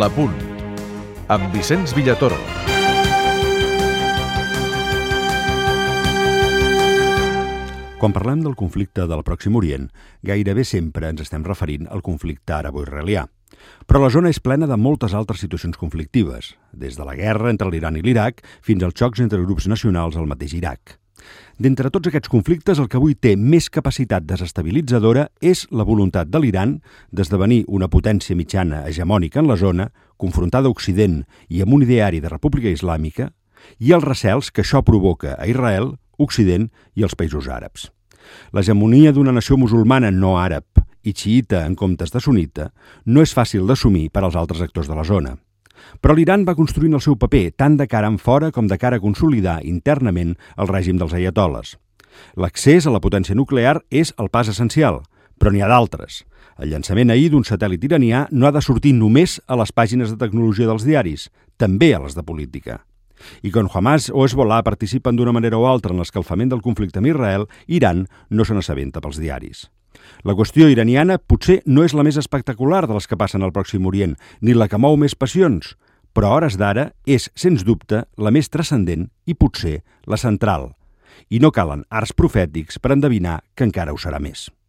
L'Apunt, amb Vicenç Villatoro. Quan parlem del conflicte del Pròxim Orient, gairebé sempre ens estem referint al conflicte arabo-israelià. Però la zona és plena de moltes altres situacions conflictives, des de la guerra entre l'Iran i l'Iraq fins als xocs entre grups nacionals al mateix Iraq. D'entre tots aquests conflictes, el que avui té més capacitat desestabilitzadora és la voluntat de l'Iran d'esdevenir una potència mitjana hegemònica en la zona, confrontada a Occident i amb un ideari de república islàmica, i els recels que això provoca a Israel, Occident i els països àrabs. L'hegemonia d'una nació musulmana no àrab i xiïta en comptes de sunita no és fàcil d'assumir per als altres actors de la zona. Però l'Iran va construint el seu paper tant de cara enfora com de cara a consolidar internament el règim dels aiatoles. L'accés a la potència nuclear és el pas essencial, però n'hi ha d'altres. El llançament ahir d'un satèl·lit iranià no ha de sortir només a les pàgines de tecnologia dels diaris, també a les de política. I quan Hamas o Hezbollah participen d'una manera o altra en l'escalfament del conflicte amb Israel, Iran no se n'assabenta pels diaris. La qüestió iraniana potser no és la més espectacular de les que passen al Pròxim Orient, ni la que mou més passions, però a hores d'ara és, sens dubte, la més transcendent i potser la central. I no calen arts profètics per endevinar que encara ho serà més.